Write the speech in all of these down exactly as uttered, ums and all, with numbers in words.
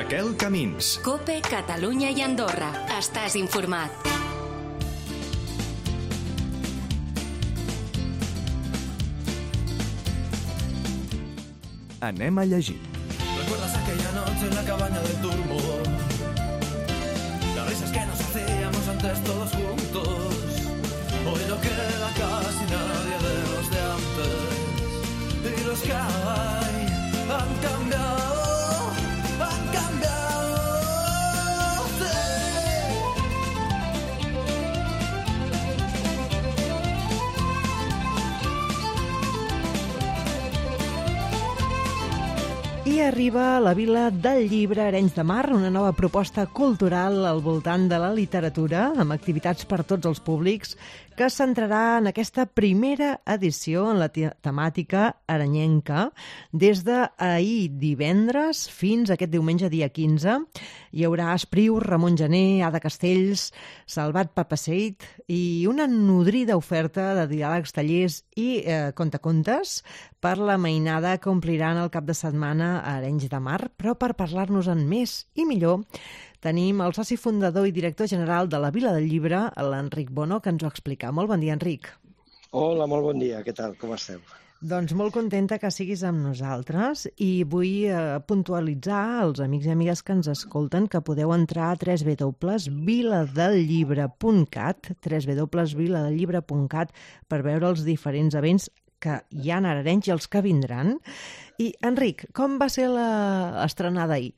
Raquel Camins. COPE, Catalunya i Andorra. Estàs informat. Anem a llegir. ¿Recuerdas aquella noche en la cabaña del turbo? Las risas que nos hacíamos antes todos juntos. Hoy no queda casi nadie de los de antes. Y los que hay han cambiado, han cambiado. I arriba a la Vila del Llibre Arenys de Mar, una nova proposta cultural al voltant de la literatura, amb activitats per tots els públics, que es centrarà en aquesta primera edició en la temàtica arenyenca. Des d'ahir divendres fins a aquest diumenge dia quinze hi haurà Espriu, Ramon Gené, Ada Castells, Salvat Papaseit i una nodrida oferta de diàlegs, tallers i eh, contacontes per la mainada que ompliran el cap de setmana a Arenys de Mar. Però per parlar-nos-en més i millor tenim el soci fundador i director general de la Vila del Llibre, l'Enric Bono, que ens ho explica. Molt bon dia, Enric. Hola, molt bon dia. Què tal? Com esteu? Doncs molt contenta que siguis amb nosaltres i vull eh, puntualitzar als amics i amigues que ens escolten que podeu entrar a w w w punt viladellibre punt cat, w w w punt viladellibre punt cat, per veure els diferents events que hi ha a Arenys i els que vindran. I, Enric, com va ser l'estrenada ahir?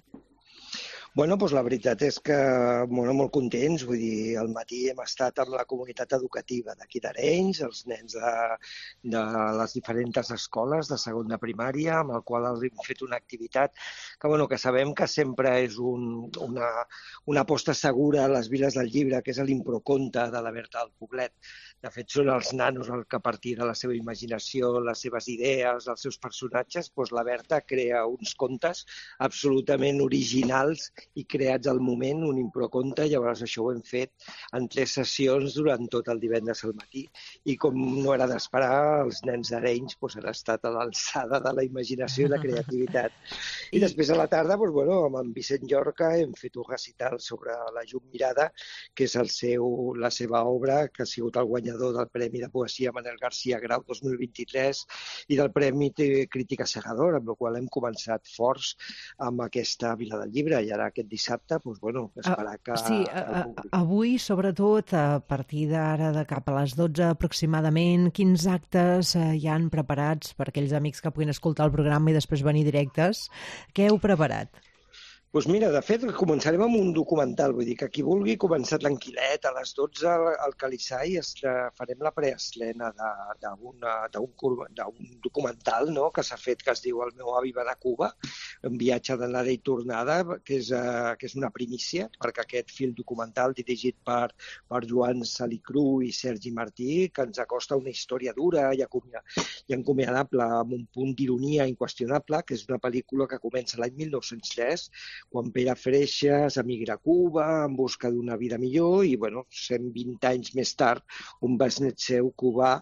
Bueno, doncs la veritat és que bueno, molt contents, vull dir, al matí hem estat amb la comunitat educativa d'aquí d'Arenys, els nens de, de les diferents escoles de segon de primària, amb el qual hem fet una activitat que, bueno, que sabem que sempre és un, una, una aposta segura a les Viles del Llibre, que és l'improconte de la Berta del Poblet. De fet, són els nanos el que a partir de la seva imaginació, les seves idees, els seus personatges, doncs la Berta crea uns contes absolutament originals i creats al moment, un improconte. Llavors això ho hem fet en tres sessions durant tot el divendres al matí. I com no era d'esperar, els nens d'Arenys doncs, han estat a l'alçada de la imaginació i la creativitat. I, I després a la tarda, doncs, bueno, amb en Vicent Llorca hem fet un recital sobre la llum mirada, que és el seu, la seva obra, que ha sigut el guanyador del Premi de Poesia Manel García Grau dos mil vint-i-tres i del Premi de Crítica Segador, amb el qual hem començat forts amb aquesta Vila del Llibre. I ara aquest dissabte, doncs, bueno, esperar que... Sí, a, a, avui, sobretot, a partir d'ara, de cap a les dotze aproximadament, quins actes eh, hi han preparats per aquells amics que puguin escoltar el programa i després venir directes? Què heu preparat? Doncs mira, de fet, començarem amb un documental, vull dir que qui vulgui començar tranquil·let, a les dotze al Calissai farem la preestrena d'un documental, no?, que s'ha fet, que es diu El meu avi va de Cuba, un viatge d'anada i tornada, que és, uh, que és una primícia, perquè aquest film documental dirigit per, per Joan Salicru i Sergi Martí, que ens acosta una història dura i, i encomiadable, amb un punt d'ironia inqüestionable, que és una pel·lícula que comença l'any mil nou-cents tres, quan Pere Freixas emigra a Cuba en busca d'una vida millor i, bueno, cent vint anys més tard, un besnet seu cubà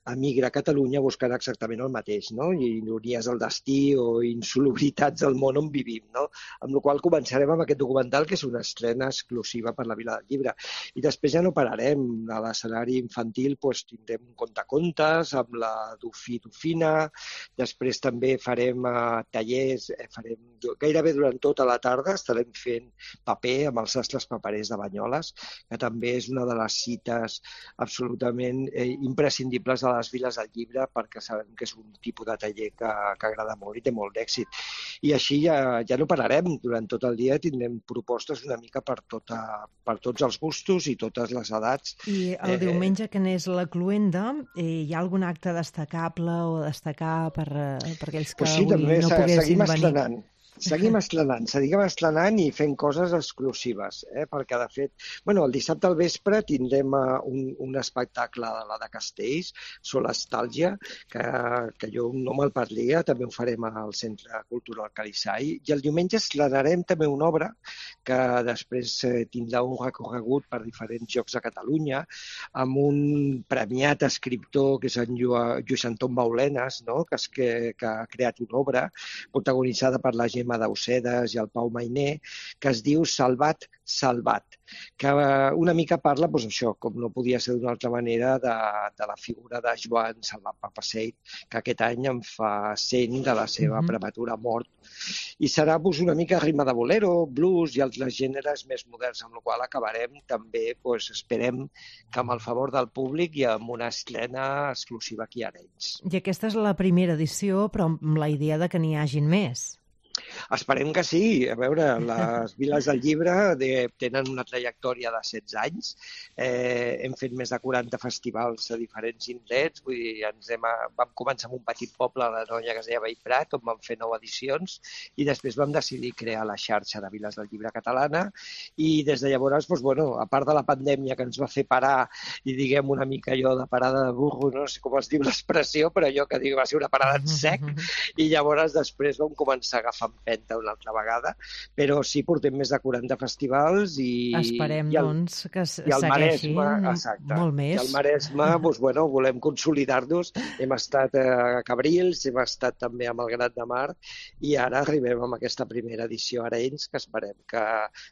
emigra a Catalunya buscant exactament el mateix, no? I ironies del destí o insolubilitats del món on vivim, no? Amb la qual cosa començarem amb aquest documental, que és una estrena exclusiva per la Vila del Llibre. I després ja no pararem. A l'escenari infantil doncs, tindrem un contacontes amb la Dufí Dufina, després també farem uh, tallers, eh, farem gairebé durant tota la tarda estarem fent paper amb els sastres paperers de Banyoles, que també és una de les cites absolutament eh, imprescindibles de les Viles del Llibre, perquè sabem que és un tipus de taller que, que agrada molt i té molt d'èxit. I així ja, ja no pararem. Durant tot el dia tindrem propostes una mica per, tota, per tots els gustos i totes les edats. I el eh, diumenge, que n'és la cloenda, eh, hi ha algun acte destacable o destacar per, per aquells que pues sí, avui no poguessin venir? Estrenant. Seguim estrenant, seguim estrenant i fent coses exclusives, eh? Perquè, de fet, bueno, el dissabte al vespre tindrem un, un espectacle de la de Castells, Solastàlgia, que, que jo no me'l parlia, també ho farem al Centre Cultural Calissai, i el diumenge estrenarem també una obra que després eh, tindrà un recorregut per diferents llocs de Catalunya, amb un premiat escriptor que és en Lluís Anton Baulenes, no? que, és que, que ha creat una obra protagonitzada per la Gemma Gemma Daucedes i el Pau Mainer, que es diu Salvat, Salvat, que una mica parla, doncs això, com no podia ser d'una altra manera, de, de la figura de Joan Salvat Papasseit, que aquest any en fa cent de la seva Mhm. prematura mort. I serà doncs, una mica rima de bolero, blues i altres gèneres més moderns, amb la qual acabarem també, doncs, esperem que amb el favor del públic i amb una estrena exclusiva aquí a Arenys. I aquesta és la primera edició, però amb la idea de que n'hi hagin més. Esperem que sí. A veure, les Viles del Llibre de, tenen una trajectòria de setze anys. Eh, hem fet més de quaranta festivals a diferents indrets. Vull dir, ens hem, vam començar amb un petit poble a la Noia que es deia Bellprat, on vam fer nou edicions, i després vam decidir crear la xarxa de Viles del Llibre catalana. I des de llavors, doncs, bueno, a part de la pandèmia que ens va fer parar, i diguem una mica allò de parada de burro, no sé com es diu l'expressió, però allò que dic va ser una parada en sec, i llavors després vam començar a agafar empenta una altra vegada, però sí, portem més de quaranta festivals i... Esperem, i el, doncs, que s- i el segueixin Maresme, exacte, molt i més. el Maresme, doncs, bueno, volem consolidar-nos. Hem estat a Cabrils, hem estat també amb el Grat de Mar i ara arribem amb aquesta primera edició a Arenys, que esperem que,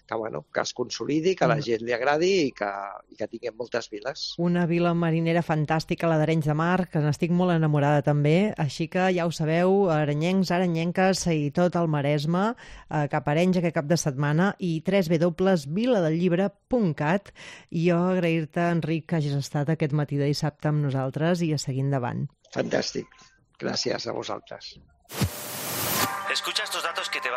que, bueno, que es consolidi, que a la gent li agradi i que, i que tinguem moltes viles. Una vila marinera fantàstica, la d'Arenys de Mar, que n'estic molt enamorada també, així que ja ho sabeu, arenyencs, arenyenques i tot el Maresme, eh, cap a Arenys aquest cap de setmana i w w w punt vila del llibre punt cat. I jo agrair-te, Enric, que hagis estat aquest matí de dissabte amb nosaltres i a seguir endavant. Fantàstic. Gràcies a vosaltres. Escucha estos datos que te